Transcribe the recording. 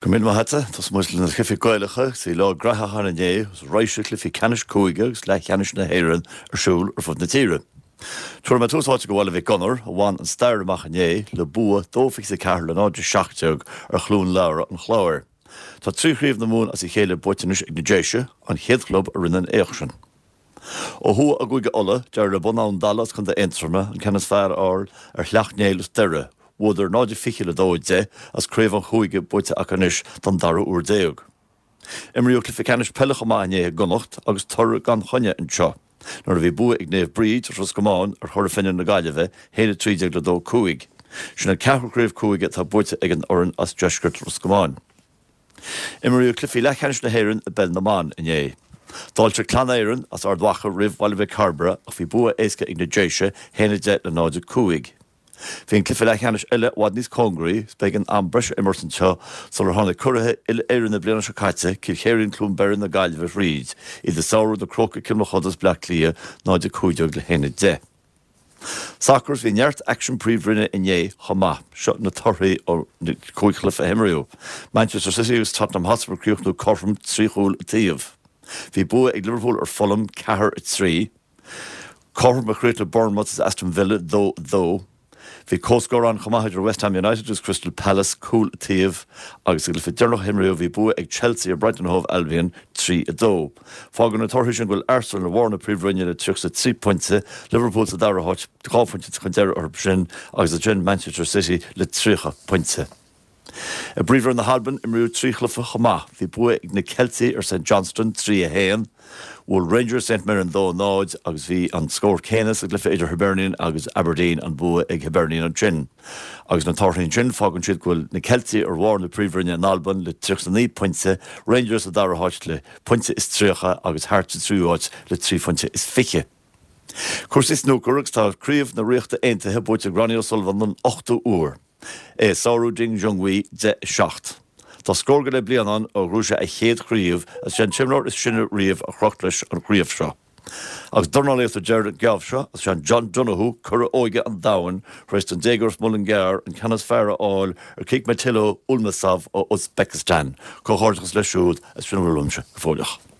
Go raibh míle maith agat. Tosóidh muid le na cluichí Gaelacha agus bhí lá graitheach ann inné agus raidhse cluichí ceannais cúige agus leathcheannais na hÉireann ar siúl ar fud na tíre. Tabharfaidh mé tús áite go Bhaile Mhic Gonair a bhain an stair amach inné le bua 2-24 le 0-17 ar Chluain Labhra an Chláir. Tá 3 chraobh na Mumhan as a chéile buaite anois ag na Déise, an chéad chlub a rinne an éacht sin. Ó thuaidh i gCúige Uladh, d'éirigh le Bun Abhann Dalla as Contae Aontroma an ceann is fearr a fháil ar Shleacht Néill as Doire. Bhuadar 0-20 le 2-10 agus craobh an chúige buaite acu anois don dara huair déag. Imríodh cluiche ceannais peile chomh maith inné i gConnacht agus toradh gan choinne anseo nuair a bhí bua ag Naomh Bríd as Ros Comáin ar Chora Finne na Gaillimhe, 1-13 le 2-5. Sin an ceathrú craobh cúige atá buaite ag an fhoireann as deisceart Ros Comáin. Imríodh cluichí leathcheannais na hÉireann i bPeil na mBan inné. D'fháiltigh Clann Éireann as Ard Mhacha roimh Bhaile Mhic Cairbre ach bhí bua éasca ag na Déise, 1-10 le 0-5. Bhí an cluiche leathcheannais eile i bhfad níos cóngaraí is b'éigean am breise a imirt anseo sular tháinig curaithe uile-Éireann na bliana seo caite, Cill Chéirín-Cluain Bheirn na Gaillimhe thríd, iad ag sárú na Crócaigh Cill Mochuda as Bleá Cliath, 0-15 le 1-10. Sacar Bhí neart aicsean príomhroinne inné chomh maith. Seo na torthaí ó na 5 chluiche a himríodh. Manchester City agus Tottenham Hotspur ag críochnú cothrom, 3 chúl an taobh. Bhí bua ag Liverpool ar Fulham, 4, 3. Cothrom a chríochnaigh Bournemouth agus Aston Villa, 2, 2. Bhí comhscór ann chomh maith idir West Ham United agus Crystal Palace, cúl an taobh, agus sa gcluiche deireanach a himríodh bhí bua ag Chelsea ar Brighton and Hove Albion, 3, 2. Fágann na torthaí sin go bhfuil Arsenal ar bharr na Príomhroinne le 33 pointe, Liverpool sa dara háit, 2 phointe chun deiridh orthu sin, agus ansin Manchester City le 30 pointe. I bPríomhroinn na hAlban, imríodh 3 chluiche chomh maith. Bhí bua ag na Ceiltigh ar St Johnstone, 3, 1. Bhuail Rangers St Mirren 2, 0 agus bhí an scór céanna sa gcluiche idir Hibernian agus Aberdeen, an bua ag Hibernian ansin. Agus na torthaí ansin, fágann siad go bhfuil na Ceiltigh ar bharr na Príomhroinne in Albain le 39 pointe, Rangers sa dara háit le pointe is 30 agus Hearts sa tríú háit le 3 phointe is fiche. Cúrsaí snúcair agus tá Craobh na Ríochta Aontaithe buaite ag Ronnie O'Sullivan don ochtú huair. É ag sárú Ding Junhui 10, 7. Tá scór go leith bliain ann ó ghnóthaigh sé a chéad chraobh agus is é an t-imreoir is sine riamh a chroch leis an chraobh seo. Agus dornálaíocht ar deireadh an geábh seo agus is é John Donoghue curadh óige an domhain tar éis don déagóir as Muileann gCearr an ceann is fearr a fháil ar Khikmatillo Ulmasov ó Uzbekistan. Comhghairdeachas leis siúd agus sin a bhfuil uaimse go fóilleach.